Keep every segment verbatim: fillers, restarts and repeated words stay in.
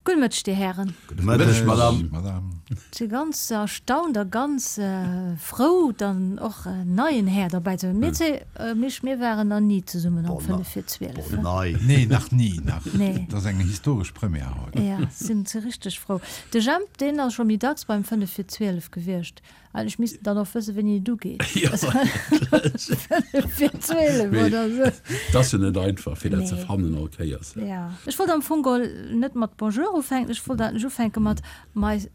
Gudde Mëtteg, Dir Hären. Gudde Mëtteg, Madame. Ech si ganz erstaunt a ganz frou, dann och en neien Här derbäi ze hunn. Mir zwee, Misch, mir waren nach ni zesummen am fënnef vir zwielef. Nee, nach ni, nach. Dat ass eng historesch Première haut. Ja, sinn ze richteg frou. De Jemp, deen ass scho méi dacks beim fënnef vir zwielef gewiescht. Eigentlech misst en dann och wëssen, wéini et ugeet. Fënnef vir zwielef oder esou. Et ass jo net einfach, fir dat ze fannen all Kéiers. Ja. Ech wollt am Fong geholl net mat Bonjour ufänken, ech wollt eigentlech ufänke mat Mais,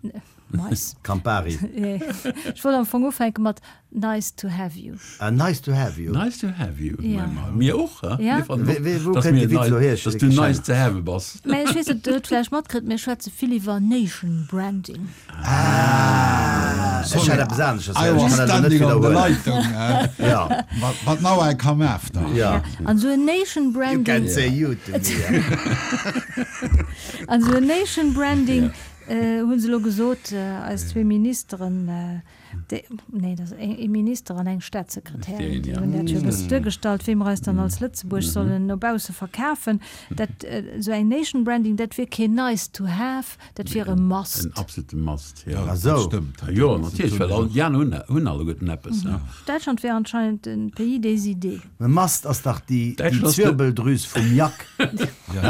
Mais. Campari. Ech wollt am Fong ufänke mat Nice to have you. Ah, nice to have you. Nice to have you. Ja. Mir och, he? Ja. Mir fannen och, Wéi, wou dass kënnt mir de Witz elo hier? dass du nice to have bass. Mä ech weess net, Dir hutt vläicht matkritt, mir schwätze vill iwwer Nation Branding. Ah, ech hat eppes aneschters I héieren. was Ech kann dat elo net standing on the widderhuelen. Leitung, Ja. but, but now I come after. Ja. An esou en Nation You Branding. can say you to me. An esou en Nation Branding hu se elo gesot, eis zwee Ministeren, déi, nee, dat ass ee Minister an eng Staatssekretärin, déi hunn dat jo e bëssen duergestallt, wéi mer eis dann als Lëtzebuerg sollen no bausse verkafen. Dat, esou eng Nation Branding, dat wier keen nice to have, dat wier e must. En absolute must, jo. Ja, Ah dat sou. stëmmt. Jo, natierlech, well all déi aner hunn, hunn alleguerten eppes, ne? Däitschland wär anscheinend den Pays des idées. E must ass dach déi, déi Däitschland ass de. Zwirbeldrüs vum Jack. Ja,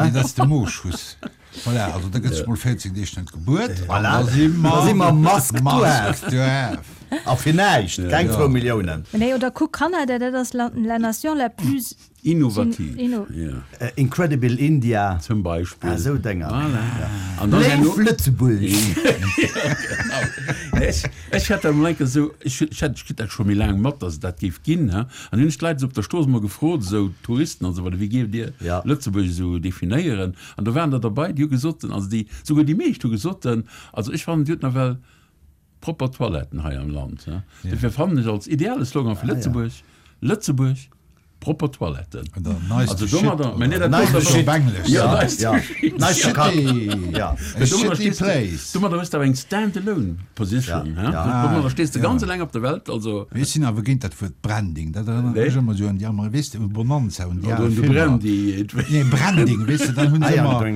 nee, dat ass de Mooschuss. Voilà, also da gëtt sech mol véierzéng Deeg net gebuert an Voilà, da si da si mer mer Mask to have. Mask to have. A fir näischt, keng Ja. zwou Milliounen. Nee, oder kuck Kanada, dat ass la, la nation la plus Innovativ, inno. ja. Incredible India. Zum Beispill. Ah, esou Dénger. Voilà. An dann Léif herno. Lëtzebuerg! Genau. Ech, ech hat dat emol eng Kéier esou, ech, ech hat, ech kritt dat scho méi laang mat, dass et dat géif ginn, he. An hunn ech d'Leit esou op der Strooss emol gefrot, esou Touristen an esou weider, wéi géift Dir Ja. Lëtzebuerg esou definéieren? An do waren der derbei, déi hu gesot, also déi, souguer déi meescht hu gesot, also ech fannen, Dir hutt nawell propper Toiletten hei am Land, he. Dofir fannen ech als ideale Slogan fir Ah, ja. Lëtzebuerg, Lëtzebuerg, propper Toiletten. Oder nice Also to shit. domadder, mä nee, dat Nice domadder to shit. Op Englesch. Ja, Ja, nice to ja. shit. Nice to kack. Shitty. Ja. A Domadder shitty stees du, place. domadder hues du awer eng stand-alone position, Ja, he? ja. Domadder stees du Ja. ganz eleng op der Welt, also. Mee ech sinn awer géint dat Wuert Branding. Dat erënnert Nee. mech ëmmer esou un déi Amer, weess de, un Bonanza, un déi Oder al un de Filmer. Brandy. Nee, Branding, weess de, dann hunn Ah se ja. ëmmer.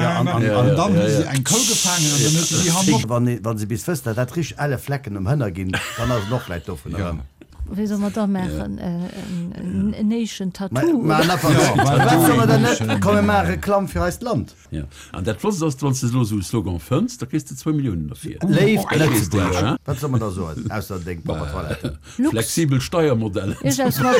Ja, an, an, Ja, an An dann ja, hu se ja. eng Kou gefaangen an dann huet se déi hannert. Wann, wann se bis wësst, datt dat richteg elle Flecken um Hënner ginn, dann ass et och vläicht dovun Ja. erëm. Wéi soll mer da maachen? En Nation Ma, Tattoo? ma oder? einfach, Ja, wat soll mer dann Nation. net? Komm, mir maache Reklamm fir eist Land. Ja. An dat Flotts ass, wann s de elo esou e Slogan fënns, da kriss de zwou Milliounen derfir. Léift Kriss de, Lëtzebuerg. hè? Wat soll mer da soen, ausser deng propper Toiletten? Lux. Flexibel Steiermodeller. Ech aus mat.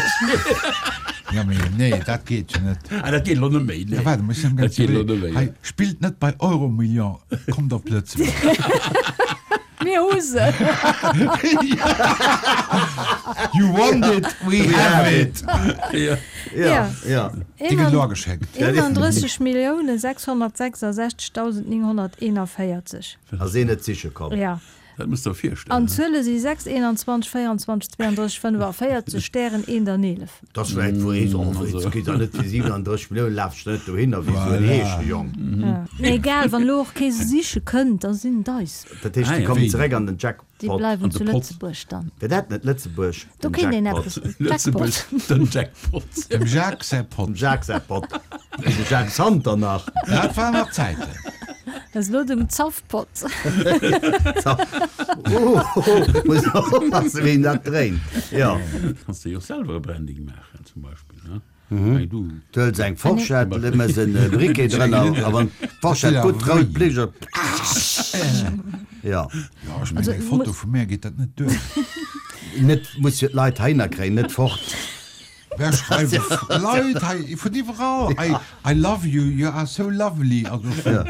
Ja, mee nee, dat geet jo net. Ah, dat geet elo net méi, nee. Ja, waarde, ech sinn Dat ganz geet elo iwwerleeën. net méi, Hei, ja. spillt net bei Euromillion, kommt op Lëtzebuerg. Mir hu se. You want it, we have it. Ja. Ja, ja. Déi gëtt elo ageschéckt. eenandrësseg Milliounen sechshonnertsechsasechzegdausend nénghonnerteenavéierzeg. Ass een net siche komm. Ja. Dat muss der virstellen. An d'Zuele si sechs, eenanzwanzeg, véieranzwanzeg, zweeandrësseg, fënnefavéierzeg, Stären, eent an eelef. Dat ass vläicht wou ee soll, oh, jetzt geet dat net fir siewenunddrësseg Milliounen, laf ech net dohinner wéi esou en Voilà. Heeschejong. Ja. Mee egal, wann elo och kee se siche kënnt, da sinn et eis. Dat heescht, Ah, déi ja. kommen Wéi? zeréck an den Déi Jackpot. bleiwen An de zu Pott. Lëtzebuerg dann. Wär dat net Lëtzebuerg, Do den kéint een Jackpot? eppes. Lëtzebuerg, Jackpot. den Jackpot. Dem Jacques säi Pott. Dem Jacques säi Pott. De Jacques Santer nach. Dat waren nach Zäiten. Dat ass elo dem Zaffpott. Oh, oh, muss oppassen, wéi en dat dréint. Ja. Kanns de jo och selwer e Branding maachen, zum Beispill, ne? Wéi du. Du hëls eng Forschett, méchs en Briquet drënner, a wann d'Forschett gutt rout blécht, da Ja. Ja, ech mengen, eng Foto vu mär geet dat net duer. Net, muss jo d'Leit heihinner kréien, net fort. Wer schreiwen Leit hei vun iwwerall, I, I love you, you are so lovely, also vun,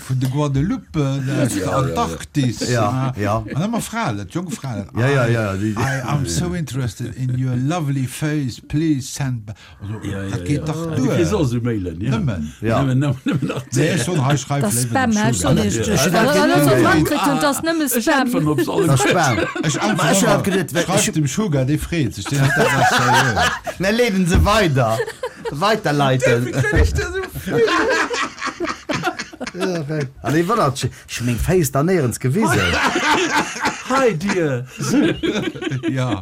vun de Guadeloupe aus der Antarktis. Ja, ja. An ëmmer Fraen, jonk Fraen. Ja, ja, ja, I, die- I am so interested in your lovely face, please send back. Also, Ja, ja, dat geet ja. dach Du kriss duer. och esou Mailen, ja. Nëmmen. Ja. Nëmmen, nëmmen, nëmmen nach Nee, ech soen, hei schreif Dat léiwer Spam, dem hä? Ech Sugar. soen iech, Ech ech dat wann geet ech net. matkritt hunn, dat ass nëmme Ech Spam. äntweren op se alle Dat Spam. Ech Ma ech hat geduet, äntweren, schreif dem Sugar, dee freet sech, deen huet dat nach seriö. Mir leeden se weider. Weiterleiten. An ee wonnert sech, ech hu meng Féiss da néierens gewisen. Hi dear! Ja.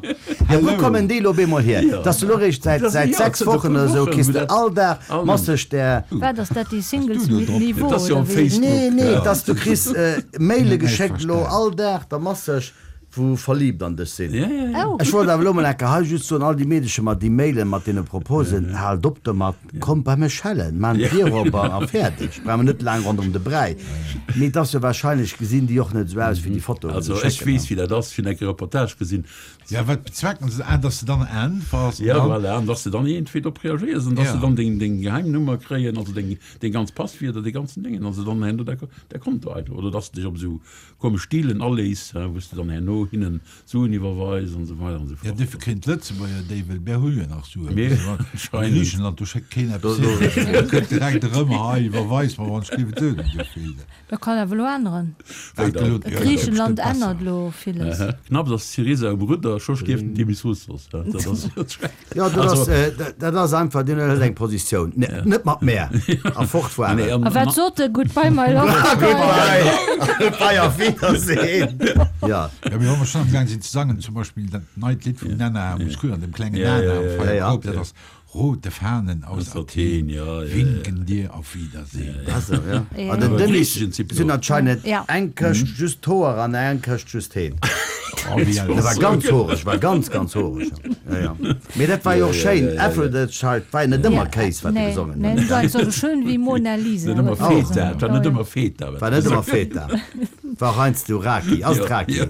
Ja, wou kommen déi elo op eemol hier? Ja. Dass du elo eréischt säit, Das- säit ja, sechs zënter Wochen puer oder esou Wochen, kriss wou de dat all Dag all masseg där. Wat ass dat, déi Singles du do mit drop? Niveau Dat ass jo oder am wéi? Facebook. Nee, nee, Ja. dass du kriss Maile Nee, geschéckt elo verstehen. all Dag da masseg, wou verliebt an dech sinn. Ja, ja, ja. Oh. Ech wollt awer elo mol enke hei just soen, all déi Meedecher mat déi Mailen, mat deene Proposen, haalt op domat, kommt bei mech schellen, maan d'Dier op a a fäerdeg. Brauch mer net laang ronderëm de Bräi. Mee et ass jo wahrscheinlech, gesinn déi och net esou aus wéi déi Fotoen, wou Also se ech schécken, weess ne? wéi dat ass, ech hunn enke Reportage gesinn. Ja, wat bezwecken se? Ah, dass de dann äntwers an Ja, dann. voilà, an dass de dann iergendwéi drop reagéiers an dass Ja. se dann deng, deng Geheimnummer kréien, also deng, deng ganz Passwierder, dee ganzen Déngen, also dann herno däi, däi Konto einfach, oder dass de dech op esou komesch Dealen alees, wou s de dann herno hinnen Suen iwwerweis an esou weider an esou Ja, fort. duerfir kréien d'Lëtzebuerger déi, well mir hu jo nach Suen. Mir An anscheinend. Griichenland, do schéckt keen eppes hin. Do kënnt direkt erëm, hei, iwwerweis mer, wann ech géif et soen, esou vill. Dat kann awer elo änneren. Wéi Dat dann? elo, ja, dat Griichenland bestimmt besser. ännert elo villes. Aha. Knapps ass Syriza um Rudder, scho stierft den Demis Roussos. Dat ass jo schrecklech. Ja, dat Also, ass, äh, dat ass einfach, deen huet eng Positioun. Ne, net mat mär. A fortfueren. Nee, an, A wat an, sot e? Goodbye my love, goodbye. Goodbye. Goodbye, auf Wiedersehen. Ja. Ja, mee wa mer schonn am Gaang sinn ze sangen, zum Beispill dat neit Lidd vum Nana Mouskouri, dem klengen Ja, Nana ja, am ja, Feier ja. Koup, dat ass Rote Fahnen aus Aus Athen Athen, ja, ja, winken dir auf Wiedersehen. Also, ja. Ja. An den Aber Denis griechischen Zypriot. sinn anscheinend Ja. eng Këscht just d'Hoer an eng Këscht just heen. Oh, wéi Dat war ganz horeg, war ganz, ganz horeg. Ja, ja. Mee dat war jo och schéin. Aphrodite's Child war jo net ëmmer Kéis, wat e Nee, gesongen nee, huet. dat war esou schön wéi Mona Lisa. Net ëmmer huet Feta, gesongen. dat war net ëmmer Feta. War net ëmmer Feta. War och heiansdo Raki. Ass et Ja, Raki? ja.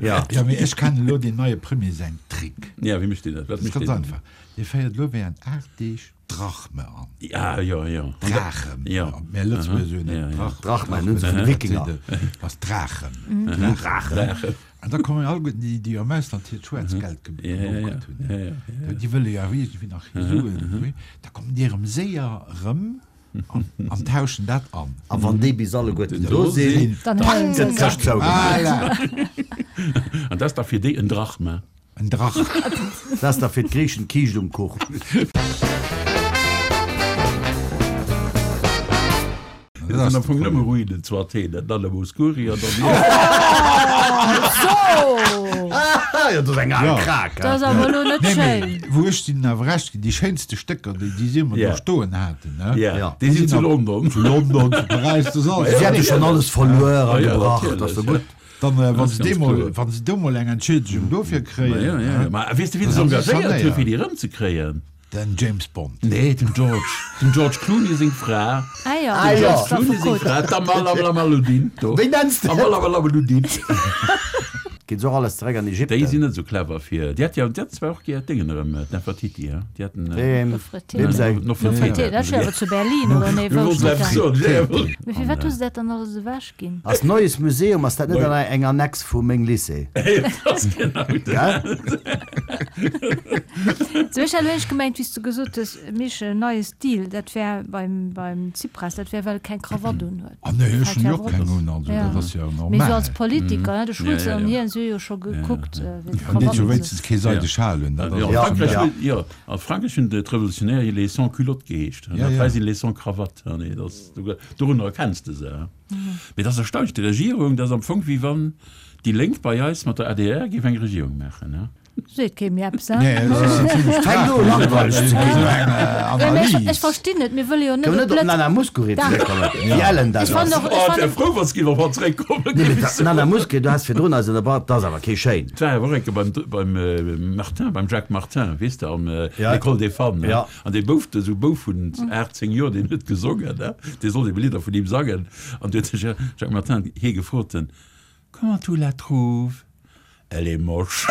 Ja. Ja, mee ech kennen elo deen neie Premier säin Trick. Ja, wéi mécht deen dat? Wat Dat ass mécht ganz deen? einfach. Dee féiert elo während aacht Deeg Drachme an. Ja, ja, ja. Drachem. Ja. Mir Lëtzebuerger soen Ja, ja. Drach. Drachme, nun se vun de Wikinger. Ass Drachen. Drachen. An da kommen alleguerten déi, déi am Ausland hiert Schwaarzgeld Ja, ja, ja. gebunkert hunn. Ja, ja, ja. Déi wëlle jo awer iergendwéi nach hir Suen. Da kommen déi erëm séier erëm an, an tauschen dat an. A wann déi bis alleguerten do Do sinn, sinn, Dann halen se gëtt se. d'Këscht zougemaach. Voilà. An dat ass da fir déi en Drachme. En Drach. Dat ass da fir d'Griechen d'Kiischt um Kuch. Dat sinn am Fong nëmme Ruinen zu Athen, dat Nana Mouskouri an dann So! Ah, jo, dat ass eng al Ja. Krak, Dat ass hein. awer elo net Nee, schéin. mee wou ech sinn awer recht ginn, déi schéinste Stécker, déi déi si mer Ja. do stoen haten, ne? Ja, Ja. déi sinn zu London. Zu London, zu Paräis, dat ass alles. Si hätte schonn alles verluer a Ja, ja, gebracht, natierlech, ass jo ja. gutt. Dann, äh, wann Das se ist ganz deemol, kloer. wann se do mol eng Entschiedegung dofir kréien, Ja, ja, ja. ne? Ma weess de, wien Dann se si engagéiert huet, sanéiert. fir déi erëmzekréien? Den James Bond. Nee, dem George. Dem George Clooney seng Fra. Ah ja, Ah ja. das war Clooney seng Foucault. Fra, d'Amal Alamaludin. Wéi nenns de? Amal Alamaludin. Geet se och alles zeréck an Déi Ägypten? sinn net esou clever fir. Déi hat jo, déi hat zwar och gär d'Déngen erëm, d'Nefertiti, hein? Déi haten. Wem, Nofretete. wem säi? Nofretete. Nofretete, dat ass jo awer zu Berlin, oder? Nee, Mir wou wollten steet eppes dat? soen, ja, jawohl. Mee firwat hu se dat dann alles ewech ginn? Ass Neues Museum, ass dat net Neu- an eng Annex vu meng Lycée? Dat ass genau dat. Gell? Sou, ech hat elo eréischt gemengt, wéi s du gesot hues, Misch, neie Stil, dat wär beim, beim Tsipras, dat wär, well e keng Krawatt un huet. Ah nee, ech Dat hunn wär jo och awer keng un, also Ja. dat ass jo Mee sou normal. als Politiker, ne, de Schulz Ja, ja, an ja. hien, si hu jo scho gekuckt, wéi An deet jo d'Krawatten wéinstens kee seide Schal un, dat ass Ja, och a Frankräich Ja. hunn, jo, a Frankräich hunn d'Revolutionäre les sans-culottes geheescht. An Ja, dat ja. hei sinn les sans-cravates. Ah nee, dat, dorunner erkenns de se. Mee dat ass erstaunlech, déi Regierung, dat ass am Fong wéi wann déi Lénk bei eis mat der A D R géif eng Regierung maachen, ne? Seet kee méi eppes, hein? Nee, dat ass en zimmlech Fänkt u langweileg ze Esou ginn. eng Ja, mee ech, Analys. ech verstinn net, mir wëlle jo net Kënne op net op Lëtz- Nana Mouskouri Dach. zeréckkommen, wéi ellen dat Ech fann ass. och, ech Oh, fann wär frou, wann se géif op hatt zeréckkommen, Nee, géif mee ech soen. Nana Mouskouri, du has virdrun eis ënnerbrach, dat ass awer kee schéin. Et war awer och eng Kéier beim, beim Martin, beim Jacques Martin, weess de, am Ja. L'École des Femmes, ne? Ja. An dee Bouf, esou Bouf vun aacht, zéng Joer, deen huet gesongen, ne? Dee sollt ebe Lidder vun him sangen. An du huet de Jacques Martin hie gefrot, Comment tu la trouves? Elle est moche.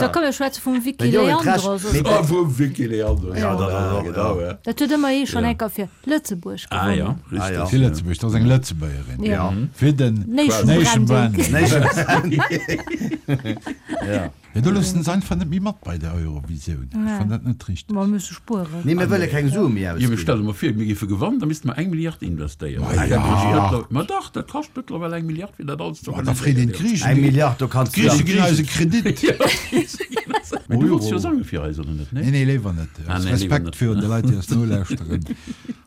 Da komm, mir schwätze vum Vicky Mee jo, et recht. Leandros. Mee- Oh, vum Vicky Leandros. Ja, dat ass och, genau, ja. ja. Dat huet ëmmer ee schonn Ja. eng Kéier fir Lëtzebuerg Ah, ja, gewonnen. richtig. Ah, ja. Fir Lëtzebuerg, dat ass eng Lëtzebuergerin. Ja. Ja. Fir den Nation Nation Branding. Branding. Nation Ja. Ja, do loossen se einfach net méi mat bei der Eurovisioun. Ech Nee. fann dat net richteg. Mer musse spueren. Nee, mir wëlle keng Sue méi Jo, mee ausginn. stell der mol vir, mir géife gewannen, da misste mer eng Milliard investéieren. Ma ja. Ma dach, dat kascht mëttlerweil eng Milliard, fir dat alles ze Ma da freet een organiséieren. d'Griechen. Eng Milliard, do kanns du D'Grieche dann. ginn eis e Kredit. Ja, d'Grieche ginn eis e- Mee du wollts jo sange fir eis, oder net? Nee, Nee? nee, léiwer net. Ah, Aus nee, léiwer Respekt net. virun de Leit, déi eis nolauschteren.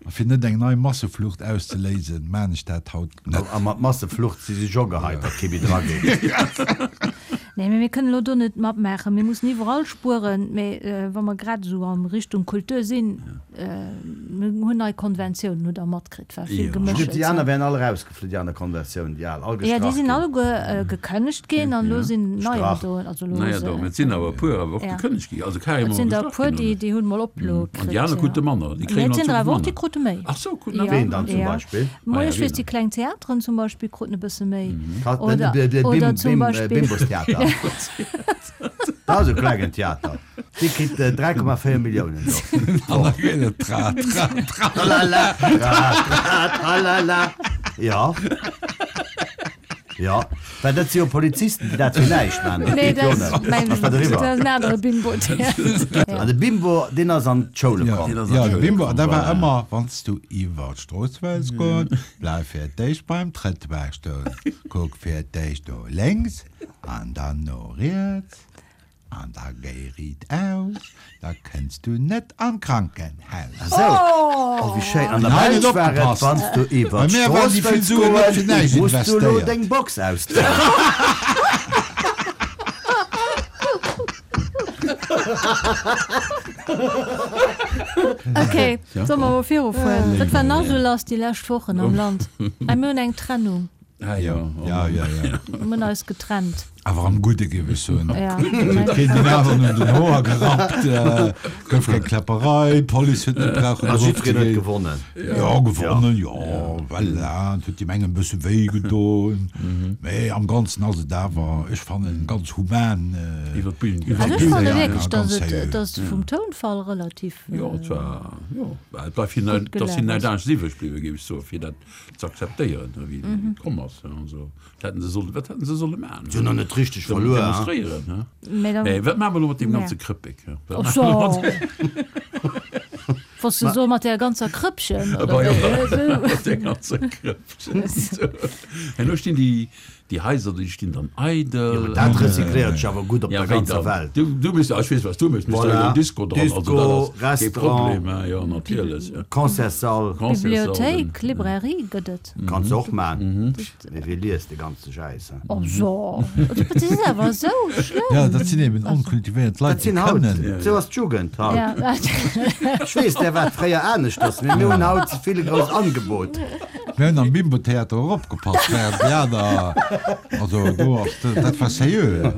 A A fir net eng nei Masseflucht auszeléisen, maan ech dat haut net. A mat Masseflucht si si scho geheit, datt kee méi dra geet. Nee, mee mir kënnen elo do net matmaachen. Mir mussen iwwerall spueren. Mee wa mer grad esou a Richtung Kultur sinn, mir hunn nei Konventiounen, hutt Der matkritt, war vill Geméchels. Déi aner wären all erausgeflunn, déi aner Konventiounen, déi al, all Ja, déi gestrach sinn ginn. alleguer gekënnegt ginn an elo sinn neier do. Also elo hu Neier se. do, mä et sinn awer e puer awer och gekënnegt ginn, also Et carrément sinn der e gestrach puer, ginn, déi, oder? déi hunn mol Oploe An déi kritt, aner ja. krute manner, déi Mee kréien et an sinn der Zukunft awer och, déi manner. krute méi. Ach sou, kruten awer Ja, Ween dann zum ja. Beispill? Mo Ah ja, ech ween weess, déi dann? kleng Theateren zum Beispill kruten e bësse méi. Ka, den, Oder, de, de oder Bim, zum Bim, Beispill. Bimbostheater. Dat ass e klengen Theater. Dee kritt dräi Komma véier Milliounen do. An da geet et tra, tra, tra. Tralala, tra, tra, tralala. Ja. Ja, well dat si jo Polizisten, déi dat fir näischt maachen. Dat Nee, geet jo dat net. ass mäin, Ass dat dat eriwwer? ass en anere Bimbo-Theater. An de Bimbo, deen ass an d'Schoule Ja, komm. Deen ass an ja, de d'Schoule Bimbo, komm, dat war voilà. ëmmer, wann s du iwwer d'Strooss wëlls goen, bleif fir d'éischt beim Trëttoir stoen. Kuck fir d'éischt no lénks an dann no riets an da géi riit aus, da kënns du net an d'Krankenhaus. Esou, oh wéi schéin. An der An hei Belsch net war et, opgepasst. wann s du iwwer Bei mär waren d'Strooss déi vill wëlls Suen net fir goen, näischt muss du elo investéiert. deng Box ausdroen. Ok, solle mer mol virufueren? Wat war nach esou lass déi lescht Wochen am Land? Ah, mir hunn eng Trennung. Ah jo, oh Ja, ja, ja. Mir hunn eis getrennt. Awer am Gudde, géif ech soen. Ja. Et huet keen deen aneren un den Hoer gerappt, gouf keng Kläpperei, d'Police huet net brauchen A jiddwereen huet erofzegoen. gewonnen. Jo, gewonnen, jo, voilà, et huet deem engem e bësse wéi gedoen, mee am Ganzen ass et awer, ech fannen, ganz human Iwwer d'Bühn iwwer Also ech d'Bühn fanne gaangen a wierklech, ganz dass et, seriö. dass et vum Tounfall relativ Jo, et war, jo, et war fir gutt net, dass hien gelaf net ass. anescht iwwreg bliwwen, géif ech soen, fir dat ze akzeptéieren, wéi et komm ass. Also, wat hätten se sollen, wat hätten se solle maachen? Si hunn och net richteg verluer, hein? Demonstréieren, hein? Mee dann, Mee wat maache mer elo mat deem Ja. ganze Krëppek, hein? Wat Och maache mer elo mat so. Was du so mat der ganzer Krëppchen, oder Bah, jo, wéi? Esou. mat der ganzer Krëppchen. Herno stinn déi, déi Haiser, déi stinn dann eidel. Jo, mä dat recycléiert sech awer gutt op Ja, der wéi ganzer dann? Welt. Du, du misst, ah, ech weess, wat s du méchs, méchs Voilà. du en Disco dran. Also, Disco, dat ass kee Restaurant. Problem, hein, jo, natierlech, ja. Concertssall. Concertssall, Bibliothéik, den- Librairie gëtt et. Kanns de och man. Mee wie liest de ganze Schäiss, hein? Oh so, dat ass awer esou schlëmm. Ja, dat sinn eben onkultivéiert Leit, Dat sinn déi haut, kënnen. esou ass d'Jugend haut. Ja. Ech weess, där war et fréier aneschters, mee mir hunn haut ze vill e grousst Angebot. Mir hunn am Bimbo-Theater och opgepasst, während déi aner, also do ass, dat war seriö.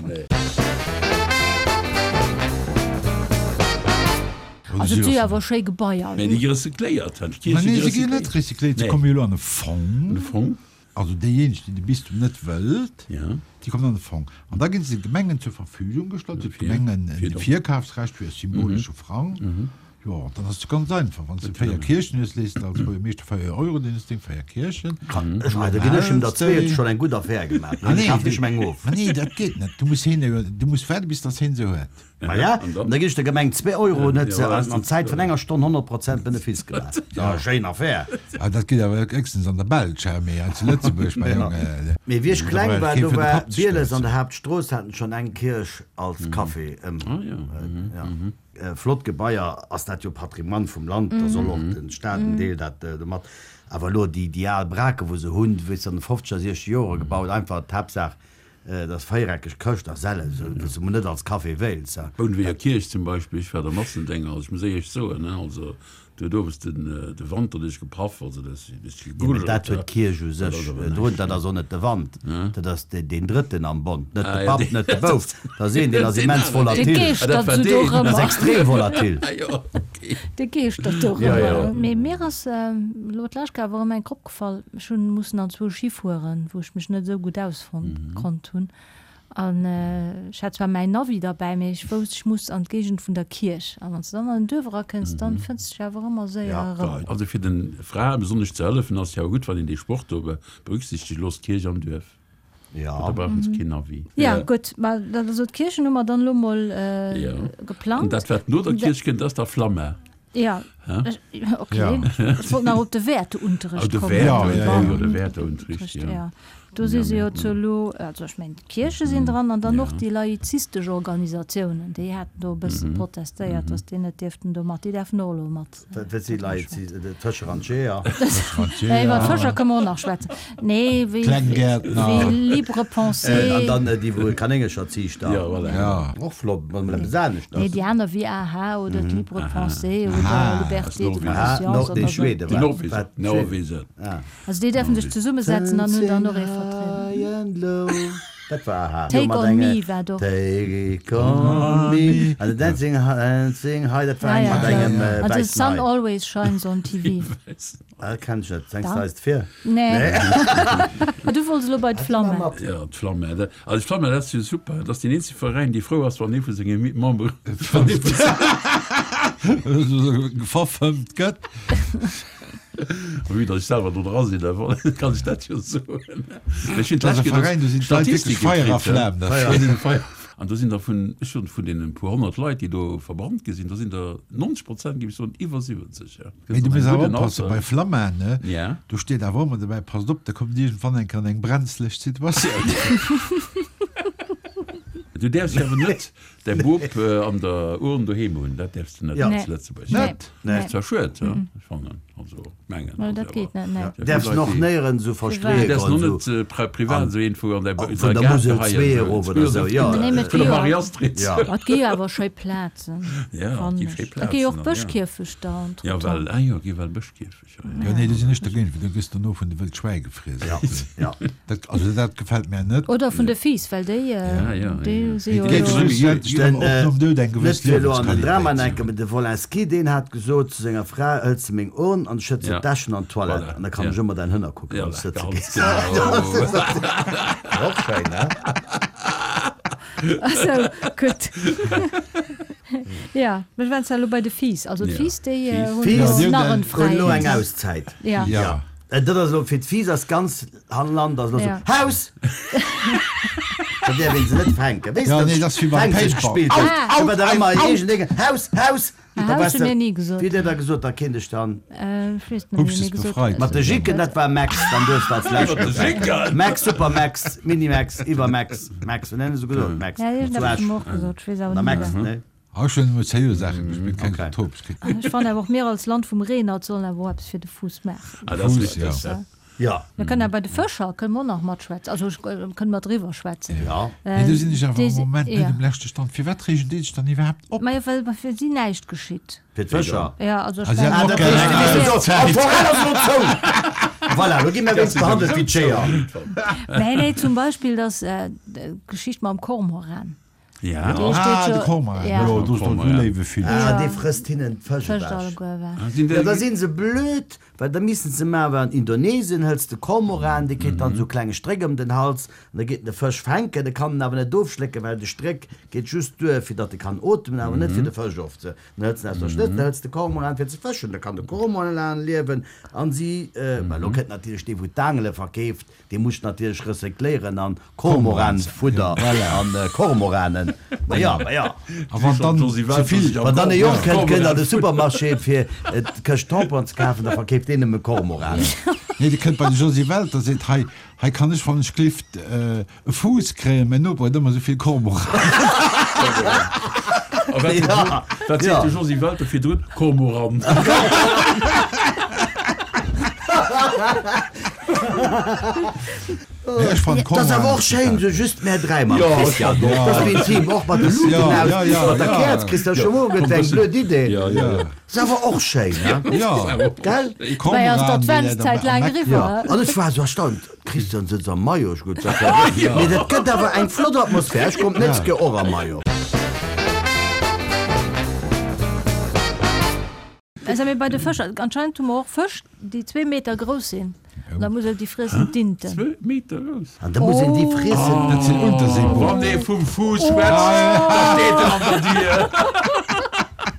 Also et si jo awer schéi Gebaier. Mee déi gi recycléiert, hein, Ma d'Kierche nee, gi se ginn net recycléiert. recycléiert, se Nee. komme jo elo an e Fong. An e Fong. Also déijéineg, déi de Bistum net wëllt, Ja. déi kommen an de Fong. An da ginn se de Gemengen zur Verfügung gestallt, fir Dofir. d'Gemengen Fir e do. Virkafsrecht fir e symbolesche Frang. Jo, dann ass et ganz einfach, wann s de véier Kierchen hues, lees de als Buergermeeschter véier Euro, deen hues deng véier Kierchen. Ech mengen, da ginn ech em der zwee, huet schonn eng gutt Affär gemaach, Ah, nee, kafen ech meng of. Ma nee, dat geet net. Du muss heen, du muss waarde bis datt heen se huet. Ma ja, An dann? da ginn ech der Gemeng zwee Euro an huet se Ja, an an Zäit vun enger Stonn honnert Prozent Benefice gemaach. Ja, schéin Affär. Ah, dat geet awer héchstens an der Belsch, hä, mee hei zu Lëtzebuerg, mäi Jong, Mee wéi ech da kleng brauch war, kee do fir de war Papp ze Bieles an stoussen. der Haaptstrooss, haten schonn eng Kierch als Café ëm. Ah, ja. Ja. Flott Gebaier, ass dat jo Patrimoine vum Land, da soll och den Staat en Deel dat domat. Awer elo déi déi al Brake wou se hunn, wéi se an de fofzeger, siechzeger Jore gebaut, einfach d'Haaptsaach et ass véiereckeg Këscht a Sälle, sou wou se mol net als Café wéilts. Bounewéger Kierch zum Beispill, ech war da Massendénger, also ech muss éierlech soen, ne, also do huet owes den de Wand derduerch gepaff, also dat ass Jo, mee dat huet d'Kierch u sech drun, dat ass och net de Wand, dat ass deen Drëtten am Bond, net de Papp, net de Bouf, dat ass een, deen ass immens volatil, Dee geeschtert sou dat ass dorëmmer. extrem volatil. Dee geeschtert dorëmmer. Mee mir ass elo d'lescht Kéier awer erëm eng Kropp gefall, ech hunn mussen anzwousch hifueren, wou ech mech net esou gutt ausfonnt konnt hunn. An ech hat zwar mäin Navi derbäi, mee ech wousst, ech muss an d'Géigend vun der Kierch. An wann s de dann an den Duerf erakënns, dann fënns de dech awer ëmmer séier erëm. Also fir de Frae besonnesch ze hëllefen, ass et jo awer gutt, wann een dee Sport do berücksichtegt, Loosst d'Kierch am Duerf. Da brauchen se keen Navi. Jo, gutt, ma dat also d'Kierchen hu mer dann elo mol geplangt. An dat, wat no der Kierch kënnt, ass da Flamma. Ja, okay. Ech wollt nach op de Wäerteunterricht Oh, de kommen. Wäerteunterricht, jo, de Wäerteunterricht, jo. Do si se jo zu elo, also ech mengen d'Kierche sinn dran an dann och déi laizistesch Organisatiounen, déi haten do e bësse protestéiert, datt déi net dierften do mat, déi däerfen och elo mat. Wat si Laizi-, d'Fëscher an d'Jeeër? Iwwer d'Fëscher kënne mer och nach schwätzen. Nee, wéi Libre Pensée. An dann déi wou Kanéngercher ziichten. Jo, voilà. Och flott, wann emol eppes anescht ass. Nee, déi aner wéi A H oder d'Libre Pensée oder Liberté de conscience oder esou. Déi Norweger. Also déi däerfen sech zesummesetzen an hunn dann och ee Vertrieder. Dat war aha. Take on me war do. Take on me. An Dancing, dancing high, dat war eng mat engem wäissen Hai. An The sun Hai. always shines on T V. Ah, dat kenn ech net. Sengs de eis et vir? Nee. Du wollts elo bei d'Flamme. Jo, d'Flamme. Also d'Flamme, dat ass jo super. Dat ass deen eenzege Veräin, dee frou ass, wann ee vu senge Membere verfëmmt gëtt. Vue datt ech selwer do dra sinn, da kann ech dat jo soen. Mee ech hunn Dat ass e d'lescht Kéier Veräin, do sinn d'Leit wierklech Statistike Feier a kritt. Flam derfir. Feier. An do sinn der vun, ech hunn vun deenen puer honnert Leit, déi do verbrannt gi sinn, do sinn der neunzeg Prozent, géif ech soen, iwwer siwwenzeg. Ja. Mee du Gëtt muss an awer engem gudden oppassen, Alter. bei Flamma, ne, Ja. do steet awer ëmmer dobäi, passt op, da kommt iergendwann eng Kéier an eng brenzlech Situatioun. Du däerfs jo awer net däi Bop an der Urn doheem hunn, dat däerfs de net Ja. zu Lëtzebuerg. Net? Nee. Dat ass zwar schued, ech fannen, also mengen. Nee, dat geet net, nee. Du däerfs en och néierens esou verstreeë Du däerfs goen, en och esou net privat esou iergendwou an däi vun der Musel zwee erof oder esou, jo. Nee, mee et Vun gi der jo, Marie-Astrid. Ja. et gi jo awer schéi Plazen, Ja, et fannen gi schéi ech. Et gi jo och Plazen, ja. Bëschkierfechter Ja, entretemps. well, ah jo, gi well Bëschkierfechter. Jo, nee, do sinn ech dergéint, well do gëss de no vun de Wëld Schwäi gefriess. Ja, ja. Dat, also dat gefält mär net. Oder vun de Fiiss, well déi, Ja, ja, déi ja. si jo Déi elo. schlussendlech Den, dann och nom Doud eng net gewëss fir elo an den Drama Liewensqualitéit ze enke, hunn. mee de Wolinski, deen hat gesot zu senger Fra, Hëls de meng Urn an schëtts Ja. d'Äschen an d'Toilette, Voilà, an da kann ja. ech ëmmer däin Hënner kucken, Ja, wann s de sëtze ganz gees. genau. Och schéin, ne? Also, gutt. Ja, mir waren zwar elo bei de Fiiss. Also Ja. d'Fiiss, déi Fiiss. hunn Fiiss elo Ja, déi hunn nach eng- en Hunn elo eng Fräiheet. Auszäit. Ja. Ja. Ja. Dat ass elo fir d'Fiiss ass ganz Land ass elo Ja. sou, Haus! Da däerf een se net fänken. Weess Ja, de, nee, dat ass wéi beim Fängzeg Paintball. gespillt huet. Ah. Da war da ëmmer iergendeng, Haus! Haus! Ah, Da Haus warst hu de, mir ni gesot. Wéi huet der da gesot, da kéint ech dann. Äh, ech weess net méi, Hupst wéi mir es gesot befreit. Mat de Jicken, dat war Max, dann duerfst de als Lescht Mat de Jicken! Max, Supermax, Minimax, Iwwermax, Max, wéi nennen se gesot? Max. Ja, Zu iergendeppes Esch. hu mer och gesot, ech weess awer Der net méi Max, wat. ne? Ach, ech hunn ëmmer zéi Saache gespillt, keng Okay. Tops kritt. Ech fannen awer och, mir als Land vum Reenert sollen awer och eppes fir de Fuuss maachen. Ah, dat ass Fuuss, richtig, ja. ja. Ja. Mir kënnen bei de Fëscher kënne mer och nach matschwätzen, also ech kënne mer driwwer schwätzen. Ja. Nee, do sinn ech awer Déi am si- Moment net ja. um leschte Stand. Firwat reegen déi sech dann iwwerhaapt op? Majo, well fir si näischt geschitt. Fir d'Fëscher? Ja, also ech Ah, si mengen- haten Ah, och dat gär heescht, eng déi wissen so, Auszäit. oh, d'Forell ass elo zou! Voilà, lo gi mir wéinst behandelt wéi d'Jeeër. Nee, nee, zum Beispill dass äh, d'Geschicht mam Kormoran. Ja. Dee steet Ah, de jo- Kormoran. Ja. Jo, do ass doch Kormoran. esou léiwe Vill. Ah, Ja. dee frësst hinnen d'Fësch Fëscht ewech. alleguer ewech. Ah, sinn Ja, déi- da sinn se blöd, well da missen se maachen, an Indonesien hëls de Kormoran, dee kritt dann esou klenge Stréck ëm den Hals an da geet en de Fësch fänken, de kann en awer net ofschlécken, well de Stréck geet just duer, fir datt e kann ootmen, awer net fir de Fësch ofze. Dann hëls en aus der Schnëtt, dann hëls de Kormoran fir ze fëschen, da kann de Kormoran liewen an si, well elo kënnt natierlech dee wou d'Aangele verkeeft, dee muss natierlech recycléieren an Kormoranfudder an Kormoranen. Ma ja, ma ja. A wann dann ze vill. Wann dann e Jong kënnt, kënnt an de Supermarché fir d'Këscht Tamponen ze kafen, da verkeeft deen nëmme Kormoranen. Nee, dee kënnt bei de Josy Welter, seet, hei, hei kann ech wann ech glift e Fuuss kréien, mäin Noper huet ëmmer esou vill Kormoranen. A wat Ja. wat seet Ja. de Josy Welter virdrun? Kormoran. Nee, ech fannen Dat ass awer och schéin, sou just mär dräi mam Christian. Dat ass méi intim, och mat de Luuten aus, mat der Käerz. Christian, scho muer gëtt eng blöd Idee. Ass awer och schéin, ne? Ja. Gell? Dobäi ass d'Adventszäit laang eriwwer. Ja, an ech war esou erstaunt, Christian sëtzt am Maillot, ech gutt, dat war Mee dat gëtt awer eng flott Atmosphär. Ech kommt d'nächst Kéier och am Maillot. Also mir bei de Fëscher, anscheinend hu mer och Fësch, déi zwee Meter grouss sinn. An da muss een déi friessen, d'Inten. Zwee Meter grouss? An da muss een déi friessen. Dat sinn Unterseebooter. Wann ee vum Fuuss schwätzt, da steet en an der Dier.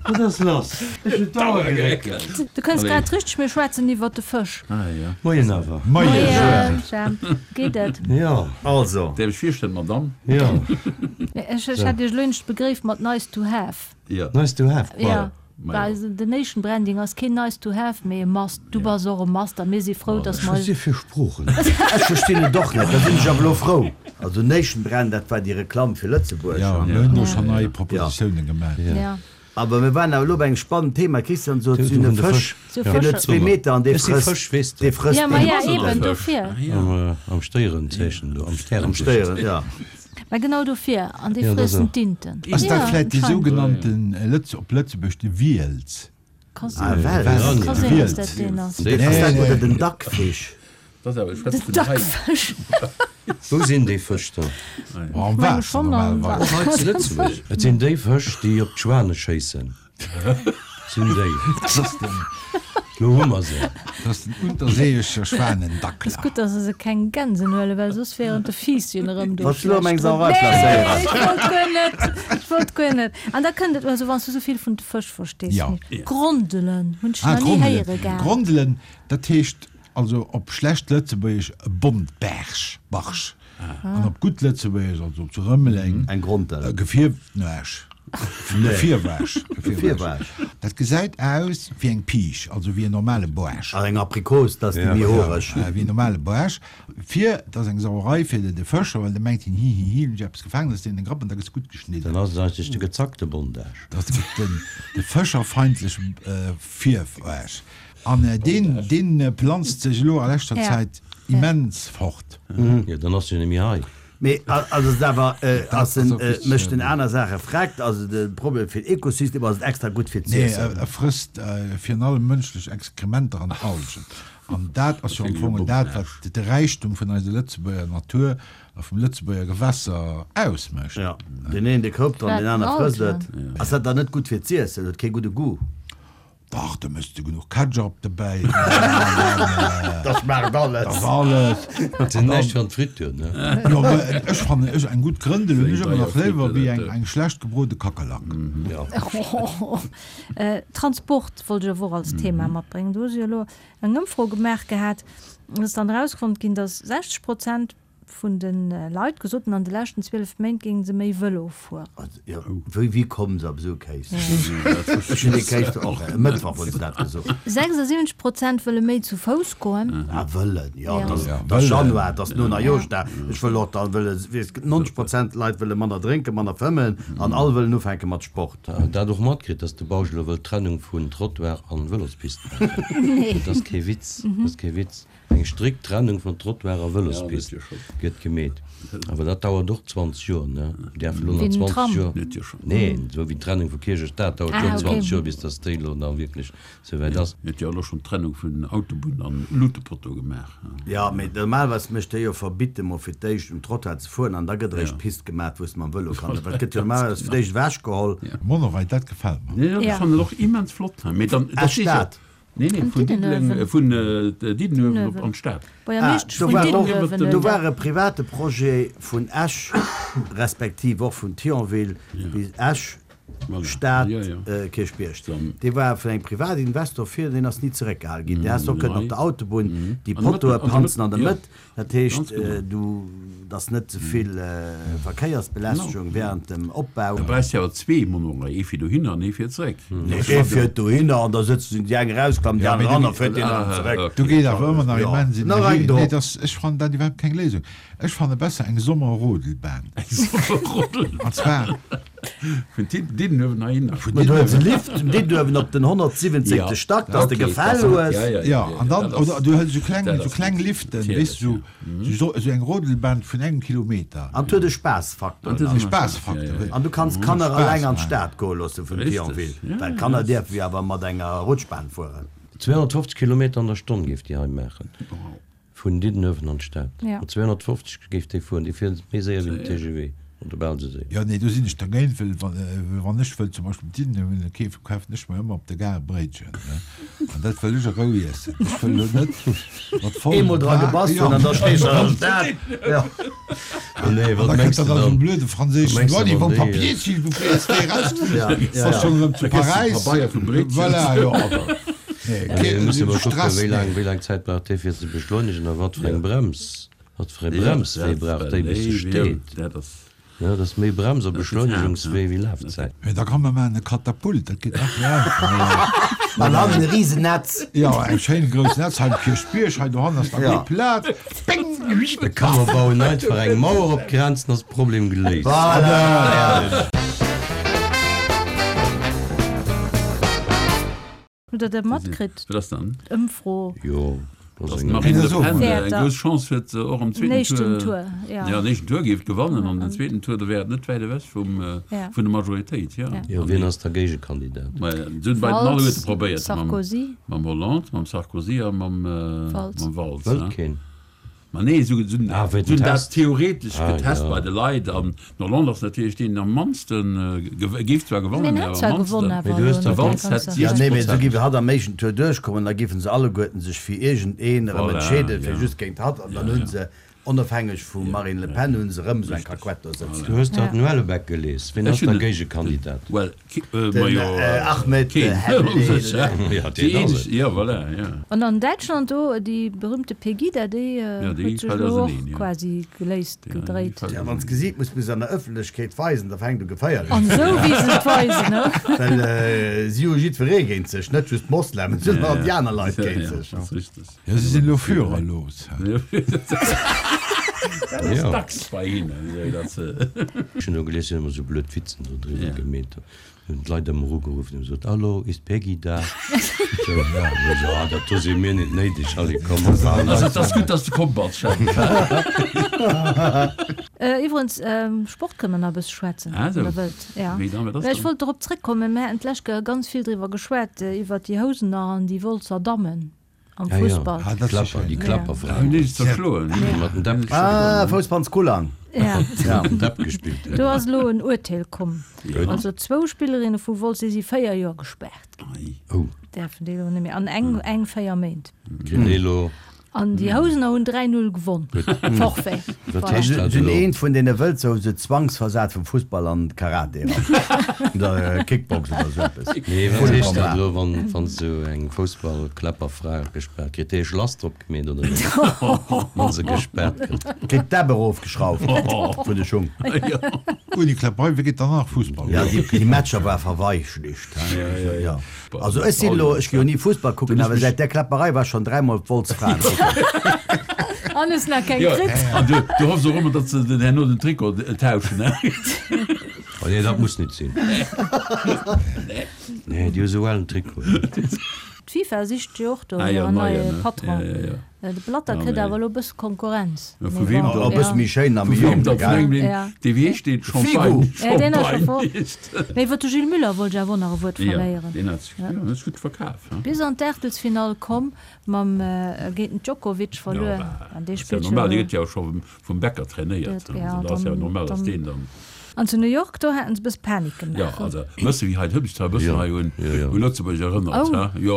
Wat ass lass? Ech hunn d'Auer geréckelt. Du kënns grad richteg, mir schwätzen iwwert de Fësch. Ah ja. Moien awer. Moien, Jemp. Geet et? Jo. Also. Däerf ech virstellen, Madame? Jo. Ech, ech hat Iech elo eenzeg begréift mat nice to have. Ja. Nice to have, quoi. Ja. Well den Nation Branding ass keen nice to have, mee e must. Du bass och e must a mir si frou, dass mer. Wat si fir Sproochen? Ech verstinn et och net, da sinn ech awer elo frou. Also Nation Brand, dat war déi Reklamm fir Lëtzebuerg. Jo, mir hunn do schonn nei Propositiounen gemaach. Awer mir waren awer elo bei engem spannenden Thema. Christian sot, si hunn e Fësch, deen huet zwee Meter an dee frësst, dee frësst deen. Jo, eben dofir. Am Stéierenzeechen do, am Stärenzeechen. Am Stéieren, jo. Mä genau dofir, an déi friessen d'Inten. Ass dat vläit déi sougenannten, op Lëtzebuerg, de Wiels? Ka sinn, ka sinn, dass dat deen ass. Ass dat oder den Dackfisch? Den Dackfësch. Wou sinn déi Fësch dann? Am Waasser normalerweis. Och hei zu Lëtzebuerg. Et sinn déi Fësch, déi op d'Schwane schéissen. Sinn déi. Lo hu mer se. Dat ass den unterseeischer Schwanendackler. Ass gutt, dass se keng Gänsen huelen, well soss wären de Fiisschen erëm do Wolls du lo meng Sauerei placéieren? Nee, ech wollt guer net. Ech wollt guer net. An da kënnt et, also wann s du sou vill vun de Fësch verstees, Ja. Grondelen hunn ech Ah, nach ni Grondelen. héiere gehat. Grondelen, dat heescht also op schlecht Lëtzebuergesch e Bontbaarsch, Barsch. An op gutt Lëtzebuergesch, also zu Rëmeleng, Eng Grondel. e Gefierwnuesch. Gefierwaasch. Gefierwaasch. Dat gesäit aus wéi eng Piisch, also wéi en normale Boarsch. Also eng Aprikos, dat ass déi méi horeg. Ja, wéi en normale Boarsch. Fir, dat ass eng Sauerei fir de de Fëscher, well de mengt hien, hi, hi, hi, hunn ech eppes gefaangen, dat ass deen den Grapp an da gëss gutt geschnidden. Dann ass et eigentlech de gezackte Bondage. Dat ass den, de fëscherfeindleche Fierwaasch. An deen, deen planzt sech elo a leschter Zäit immens fort. Jo, dann ass jo net méi hei. Mee ass et awer, ass en, mécht en aner Saache freckt? Ass et e Problem fir den Ökosystem oder ass et extra gutt fir d'Ziessen? Nee, e frësst virun allem mënschlech Exkrementer an Algen. An dat ass jo am Fong dat, wat de Räichtum vun eiser Lëtzebuerger Natur a vum Lëtzebuerger Gewässer ausmécht. Jo, deen een dee koupt an deen aner frësst et. Ass dat dann net gutt fir d'Ziessen? Huet kee gudde Goût? Dach, da méchs de genuch Ketchup dobäi. Da schmaacht alles. Da ass alles. Dat sinn näischt fir an d'Friture, ne? Jo, mä ech fannen, ech eng gutt Grëndel hunn ech ëmmer nach léiwer wéi eng eng schlecht gebrode Kakerlak. Jo. Transport wollt ech awer och als Thema matbréngen. Do hu se jo elo eng Ëmfro gemaach gehat. Et ass dann erausfonnt ginn, datt sechzeg Prozent vun de Leit gesot hunn, an de leschten zwielef Méint géinge se méi Vëlo fueren. Jo, wéi, wéi kommen se op esou Kéis? Ech hunn dee Kéis och e Mëttwoch hunn se dat gesot. sechsundsiwwenzeg Prozent wëlle méi zu Fouss goen. Ah, wëllen, jo, et ass, et ass Januar, et ass no Neijooschdag, ech wëll och dann wëlle, weess, nonzeg Prozent Leit wëlle manner drénken, manner fëmmen an all wëllen ufänke mat Sport. Dat och matkritt, dass de Bausch elo wëll d'Trennung vun Trottoir an Vëlospist maachen. Dat ass kee Witz, dat ass kee Witz. Eng strikt Trennung vun Trottoir a Vëlospist gëtt gemeet. Awer dat dauert och zwanzeg Joer, ne? Mir däerfe elo nach zwanzeg Joer. Neen, esou wéi d'Trennung vu Kierch a Stad dauert jo och zwanzeg Joer, bis datt déi elo da wierklech esouwäit ass. Huet jo elo schonn d'Trennung vun Autobunn an Lutepotto gemaach. Jo, mee normalerweis mécht déi jo verbitt emol fir d'éischt um Trottoir ze fueren an da gëtt eréischt d'Pist gemaat, wou s de mam Vëlo kann. Dat gëtt jo normalerweis fir d'éischt ewechgeholl. Monorail, dat gefält mer. Nee, dat fannen ech och immens flott. Mee dann, dat Esch Stad. Nee, nee, vun Diddeleng, vun Diddenuewen op an d'Stad. Ah, do war och, do war e private Projet vun Esch, respektiv och vun Thionville bis Esch, Stad, Kierchbierg. Dee war vun engem Privatinvestor fir, deen ass ni zeréckgehale ginn. Dee häss och kënnen op der Autobunn déi Pottoe planzen an der Mëtt. Dat heescht, du, dass net ze vill Verkéiersbelästegung während dem Opbau. Da brauchs de awer zwee Monorail, ee fir dohinner an ee fir zeréck. Nee, ee fiert dohinner an da sëtzen déi eng erausklammen, déi aner eran a fiert deen erëm zeréck. Do geet awer ëmmer nach immens Energie. Nee, dass, ech fannen dat iwwerhaapt keng Léisung. Ech fanne besser eng Sommerrodelbahn. Eng Sommerrodelbahn. An zwar. Vun Diddenuewen heihinner. Vun Diddenuewen. Du hues e Lift vun Diddenuewen op den honnertsiwwenzéngte Stack, dass de Gefäll hues. Jo, an dann, oder du hëls esou kleng, esou kleng Liften, weess du, esou, esou eng Rodelbahn vun engem Kilometer. An et huet e Spaassfaktor. An et huet e Spaassfaktor. An du kanns d'Kanner eleng an d'Stad goe loosse vun Thionville, well d'Kanner dierfe jo awer mat enger Rutschbahn fueren. zweehonnertfofzeg Kilometer an der Stonn géif déi hei maachen. Vun Diddenuewen an d'Stad. Mat zweehonnertfofzeg géif déi fueren. Déi fiert méi séier wéi den T G V. Oder bal esou séier. Jo, nee, do sinn ech dergéint, well wann ech wëll zum Beispill op Diddenuewen kafen, kafen ech mer ëmmer op der Gare e Bréitchen, ne? An dat wëll ech a Rou iessen. Ech wëll elo net mat vollem Eemol dra gebass hunn an da stees de an der Stad. Jo. Nee, An wat da mengs kënnt de dann dann? esou e blöde Wat franséischen mengs de, Douanier, wann wou déi. Papier, s'il vous plaît, ass dee erausgeflunn, Ja, ja, ass schonn erëm zu Da kriss de Paräis. Pabeier vum Bréitchen. Voilà, jo, awer. Nee, Nee, kee musse mer kucken, Stress, wéi laang, nee. wéi laang Zäit brauch dee fir ze beschleunegen a wat fir eng Brems, wat fir e Bremswee brauch déi bis se steet. Ja, dat ass méi Brems a Beschleunegungswee wéi Lafzäit. Mee da kann mer maachen e Katapult, dat geet nach méi einfach. An hannen e Risennetz. Jo, eng schéin grouss Netz hei um Kierchbierg, hei dohannen ass nach gutt Plaz. Bing! Da kann mer bauen einfach eng Mauer op d'Grenz, dann ass de Problem geléist. Voilà! Hutt der dat matkritt? Wat ass dann? D'Ëmfro. Jo, dat ass Dass eng. d'Marine Le Pen eng Wäerter. grouss Chance huet, och am zweeten Éischten Tour, Tour, ja. jo, den éischten Tour géif gewannen an den zweeten Tour, do wär et net wäit ewech vum, Ja. vun der Majoritéit, jo. Ja. Jo, wien ass da Géigekandidat? Mä se hunn bei den Valls, alleguerte probéiert, mam, Sarkozy. mam Hollande, mam Sarkozy a mam, Valls. mam Valls, Wëllt ne? keen. Ma nee, se hunn Ah, wéi den dat Test. theoretesch Ah, getest ja. bei de Leit an den Hollande ass natierlech deen am mannste, géif zwar Mee gewannen, en mä hätt awer zwar am gewonn, mannsten. awer Mee du hues elo der net De dee Valls hätt ganze. Ja, nee, mee siwwenzeg esou Prozent. géif hatt am éischten Tour duerchkommen, da géifen se alleguerten sech fir iergendeen erëm Voilà, entscheeden, fir ja. just géint hatt, an dann Ja, hu ja. se, onofhängeg vum Marine Le Pen, hu se erëm esou eng Kakuett do sëtzen. Du hues der Ja. den Houellebecq gelies. Wien Ech ass der hunn Géigekandidat? Well, Den ma jo, Ahmed keen. Helele. Ja, deen ass et. Ja, voilà, ja. An an Däitschland do, déi berühmte Pegida, déi Ja, déi huet sech fält elo och auseneen, ja. quasi geléist, Ja, déi gedréit. fält Ja, wann s d'Gesiit muss bis an der Ëffentlechkeet weisen, da fänkt u geféierlech An ze esou ginn. wéi se et weisen, ne? Well si hu jiddweree géint sech, net just d'Moslemen, si hunn och déi aner Leit Ja, géint ja, sech. dat ass richteg. Ja, si sinn elo führerlos. Ja. Dat ass Ja. dacks bei hinnen, esou datt se. Ech hunn do gelies, si hunn ëmmer esou blöd Witzen do driwwer Ja. gemeet. Hunn d'Leit ëmmer ugeruff an hunn gesot, Hallo, ist Peggy da? Sou, ja, ech sou, ah, dat do si mir net néideg, allez, komm, mer fahren Also, weiter. et ass gutt, datt s de komm bass, Chef. Iwwerens, Sport kënne mer nach e bësse schwätzen, Ah, wann sou. Der wëllt. Ja. Wéi dann, wat ass Mä ech dann? wollt dorop zréckkommen, mir haten d'lescht Kéier ganz vill driwwer geschwat, iwwert déi Housener an déi Wolzer Dammen. Am Ja, ja. Fussball. Ah, dat ass Klapper, déi schön. Klapperfra. Hun déi zerschloen. Déi mat dem Depp gespillt Ah, Foussballskullang. Ja. Ja. Mat dem Depp gespillt huet. Do ass elo en Urteel komm. Gutt. Also zwou Spillerinne vu Wolz, déi si véier Joer gespaart ginn. Ei. Oh. Däerfen déi elo net méi. An eng, eng véier Méint. Kritt déi elo. An déi Housener hunn dräi Null gewonn. Forfait. Wat Voilà. heescht dat Sinn elo? eent vun deene Wëlzer hu se zwangsversat vum Fussball an Karate eran. Oder Kickbox oder sou eppes. Nee, wat heescht dat elo, wann, wann sou eng Foussballkläpperfra gespaart kritt? Déi e Schlass drop gemeet oder wéi? Wann se gespaart gëtt. Kritt d'Äpp erofgeschrauft vun de Schung. Ui, déi Kläpperei, wéi geet dann nach Fussball? Ja, déi, déi Matcher war verweichlicht. Ja, ja, ja. Also ech sinn elo, ech gi jo ni Fussball kucken, awer säit där Kläpperei war ech schonn dräimol Wolz Fraen kucken. An es nach keng Ja, kritt. an du, du hoffs och ëmmer, datt se den herno den Trikot tauschen, ne? Oh nee, dat muss net sinn. Nee, déi hu sou ellen Trikoten. D'FIFA sicht jo och do Ah jo, en neien, neie ne? Patron. Ja, ja, ja. De Blatter Ja, kritt nee. awer elo e bësse Konkurrenz. Ja, vu Mee wem bon, dann? E bësse ja. méi schéin a Vu méi wem jonk, dann? Vun gell? engem, deen, Ja. dee wéi heescht deen? Figo! Champagne, Ja, deen ass scho Champagne fort. heescht. Mee iwwer de Gilles Muller wollt ech awer och nach e Wuert Ja, verléieren. deen hat sech, ja, deen huet sech gutt verkaf, he? Bis an d'Aachtelsfinall komm, mam géint den Djokovic Ja, verluer. bah, An dee ass ja spillt jo normal, dee elo. gëtt jo och scho vum, vum Becker trainéiert, Dat, he? ja, Also, da ass ja dann, normal, dass dann. deen dann. An zu New York, do haten se e bësse Panik Ja, gemaach. also, bësse wéi hei d'Hëbscht hei e bëssen Ja, hei un, ja, ja. un Lëtzebuerg erënnert, Oh. he? Jo,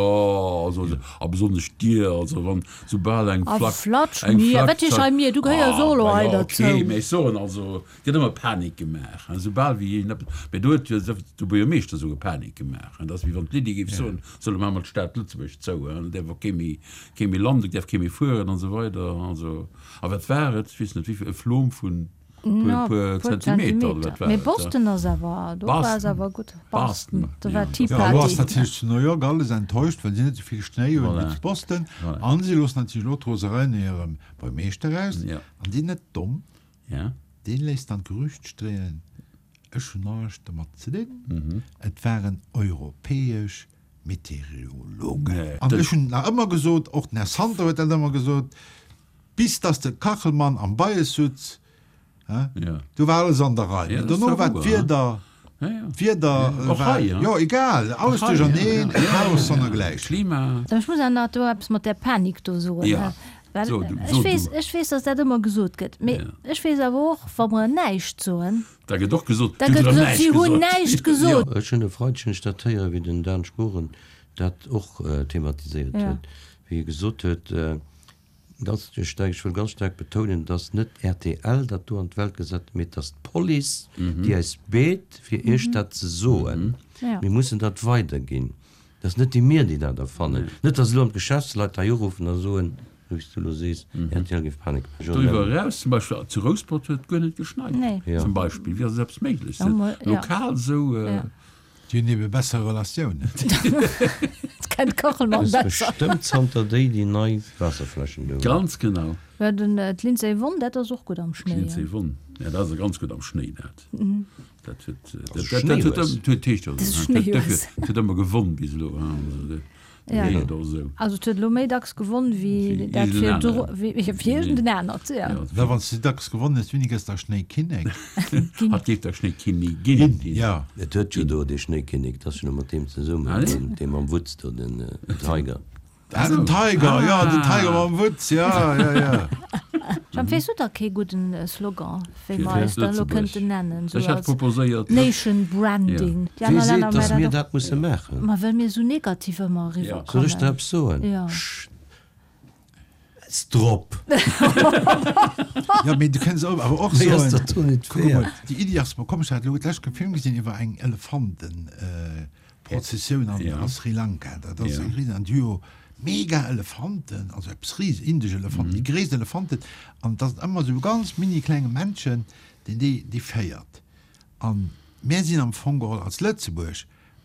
also, a besonnesch dir, also wann soubal eng A Flack, flatsch eng mir, Flack wat heescht hei mir? Du gehéiers Ah, och elo ma hei jo, derzou. okay, mä ech soen also, et gëtt ëmmer Panik gemaach, he, soubal wéi een eppes, mä do huet jo de Buergermeeschter souguer Panik gemaach, he, dat ass wéi wann d'Lydie géif soen, solle mer emol d'Stad Lëtzebuerg zou, he, et däerf och kee méi, kee méi landen, et däerf kee méi fueren an esou weider, also, a wat war et, ech weess net wéivill, e Flom vun. No, puer puer Zentimeter, oder Zentimeter. wat war Mee et, ja? Boston ass awer, do war es Boston. awer gutt. Boston, Boston, do war ja. Tea Ja, elo ass Party. natierlech zu New York alles enttäuscht, well si net esou vill Schnéi hunn wéi Voilà. zu Boston. Voilà. An si loossen natierlech elo d'Rosereien hirem Buermeeschter aus. Ja. An deen net domm, Ja. deen léisst dann d'Gerücht streeën, ech hunn näischt domat ze dinn, Mhm. et waren europäesch Meteorologen. Nee, An dat- ech hunn nach ëmmer gesot, och den Här Santer huet dat ëmmer gesot, bis dass de Kachelmann am Bias sutz, hä, Ja. do war alles an der Rei. Ja, Mee dat ass dono war darüber, d'Wieder, Ja, ja. d'Wieder Ja, och war, hei, ja. jo, egal, alles Och hei, duercherneen, ja, ja. e Chaos Ja, sonnergläich. Klima. Ech muss awer nach do eppes mat där Panik do soen, Ja. hä. Well So du, ech so weess, du. ech weess, dass dat ëmmer gesot gëtt. Mee Ja. ech weess awer och, wa mer näischt soen, Da gëtt och gesot, da du gëtt hutt gesot, näischt si hunn gesot. näischt gesot. Ech hunn e Freideg hunn ech dat héieren, wéi den Dan Sporen dat och thematiséiert Ja. huet, wéi e gesot huet, ganz staark, ech wëll ganz staark betounen, dass net rtl dat do an d'Welt gesat huet, mee dass d'Police, déi eis beet, fir Iech dat ze soen. Ja. Mir mussen dat weiderginn. Dat ass net déi mir, déi dat erfannen. Net, dass elo an d'Geschäftsleit hei uruffen a soen, wéi s du elo sees, rtl géif Panik maachen. Doriwwer eraus, zum Beispill zu Rouspert huet et guer net geschneit, zum Beispill. Wéi ass esou eppes méiglech? Lokal esou. Déi hunn ebe besser Relatiounen. Kennt Kachelmann besser. Bestëmmt zanter déi déi nei Waasserfläschen do hunn. Ganz genau. Mä den d'Lindsey Vonn, dat ass och gutt am Schnéi. D'Lindsey Vonn, ja dat ass ganz gutt am Schnéi dat. Dat huet dat huet huet heescht jo dat huet ëmmer gewonn bis elo. Also et huet elo méi dacks gewonn wéi dat virdru, wéi iergend en anert, jo. Da wann s de dacks gewonn hues, wéini gëss da Schnéikinnek? Hatt géif da Schnéikinnigin ginn. Jo. Et huet jo do dee Schnéikinnek, dat ass jo elo mat deem zesummen, deen, dee mam Wutz do, den Tiger. Ah, den Tiger, jo, den Tiger mam Wutz, jo, jo, jo. Jemp, weess du da kee gudden Slogan, wéi mer eis da elo kënnten nennen, sou Ech hätt als proposéiert. Nation Branding? Déi Wie aner seet, Länner dass maachen mir dat dat och. musse maachen? Ma well mir sou negativ ëmmer eriwwer Soll ech der kommen. eppes soen? Jo. Schäiss drop! Jo, mee du kënns awer och Méi ass soen, dat do net kuck emol, wäert. déi Iddi ass mer komm, ech hat elo d'lescht e Film gesinn iwwer eng Elefanten-Prozessioun an a Sri Lanka. Dat ass eng ris, an déi hu jo mega Elefanten, also eppes ris, indesch Elefanten, déi gréisst Elefanten, an et ass ëmmer esou e ganz mini klenge Männchen, deen déi, déi féiert. An mär sinn am Fong geholl als Lëtzebuerg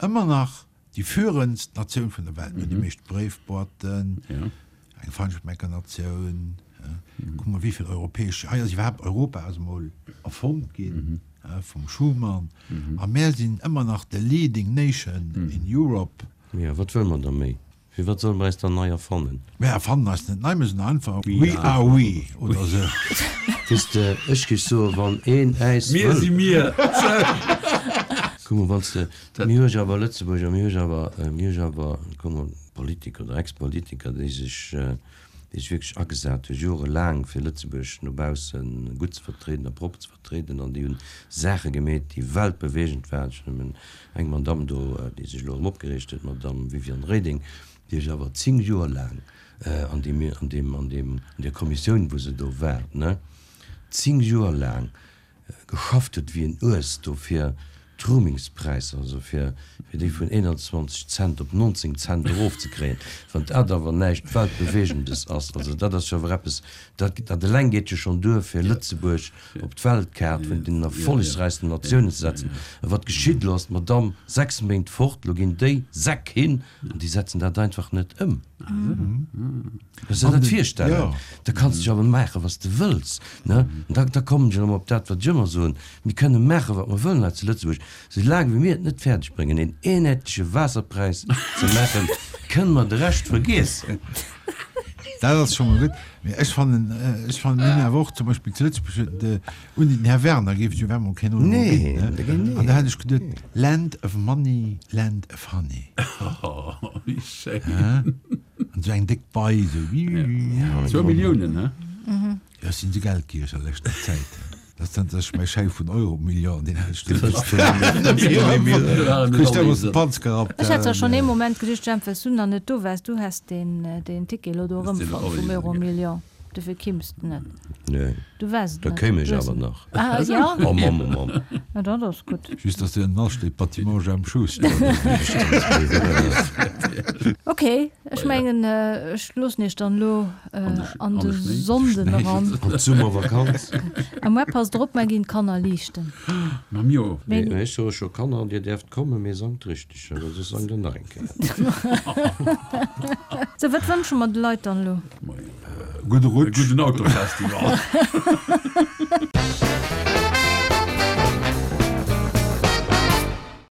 ëmmer nach déi führendst Natioun vun der Welt. Mir hunn déi meescht Bréifboîten, eng Feinschmeckernatioun, kuck mol wéivill europäesch, hei ass iwwerhaapt Europa ass emol erfonnt ginn vum Schuman, a mär sinn ëmmer nach the leading nation in Europe. Jo, wat wëlle mer da méi? Firwat solle mer eis dann nei erfannen? Mir erfannen eis net nei, mir sinn einfach We are we oder esou. Weess de, ech géif soen, wann een äis Mir wëll. si mir! Kuck mol, wann s de, mir hu jo awer Lëtzebuerger, mir hu jo awer, mir hu jo awer, kuck mol, Politiker oder Ex-Politiker, déi sech, déi sech wierklech agesat hu jorelaang, fir Lëtzebuerg no bausse gutt ze vertrieden a propper ze vertrieden an déi hunn Saache gemeet, déi weltbeweegend waren. Ech nëmmen Eng Madamm do, déi sech elo erëm opgereegt huet, d'Madamm Viviane Reding, déi ech awer zéng Joer laang an deem, an deem, an deem, an där Kommissioun, wou se do war, ne, zéng Joer laang geschafft huet wéi en Uess do fir d'Roamingspräisser, also fir, fir déi vun eenanzwanzeg Cent op nonzéng Cent erofzekréien. Wann dat awer näischt Weltbewegendes ass, also dat ass jo awer eppes, dat, dat eleng geet jo schonn duer, fir Lëtzebuerg op d'Weltkaart vun den erfollegsräichsten Natiounen ze setzen. A wat geschitt elo? Ass d'Madamm sechs Méint fort, elo ginn déi Säck hin an déi setzen dat einfach net ëm. Kanns de der dat virstellen? Da kanns de jo awer maachen, wat s de wëlls, ne? An da, da kommen ech erëm op dat, wat ech ëmmer soen, Mir kënne maachen, wat mer wëllen hei zu Lëtzebuerg, soulaang wéi mir et net fäerdeg bréngen, een eenheetleche Waasserpräis ze maachen, kënne mer de Rescht vergiessen. Dat ass scho mol gutt. Mee ech fannen, ech fannen, mir hunn awer och zum Beispill zu Lëtzebuerg huet de, ouni den Här Werner géif et jo op eemol keen Euro Nee, ginn, ne? da géing, nee. An da hätt ech geduet, Land of money, land of honey. Oh, wéi schéin. An esou eng déck Bei, esou wii. Zwou Milliounen, he? Jo, ech sinn esou geldgiereg a leschter Zäit. Dat ass dann sech mäi Schäi vun Euro-Million, deen hat ech Ech hat zwar schonn ee Moment geduecht, Jemp, well s du nach net do waars, du häss deen deen Ticket elo do erëmfonnt vum Euro-Million, dofir kimms de net. Nee, Du waars et da net. kéim ech awer nach. Ah jo? Oh Mamm, oh Mamm. Na dat ass gutt. Just, dass du ënnen asteet, Bâtiment Jemp Schuster. Ok, ech mengen, ech loossen iech dann elo an de Sonnden eran. An d'Summervakanz. A muer passt der op, mer ginn d'Kanner liichten. Mam jo. Mee ech soe scho, Kanner, dir däerft kommen, mee sangt richteg, well soss sangt der nach eng Kéier. Sou, wat wënsche mer de Leit dann elo? Gudde Rutsch. E gudden Autofestival.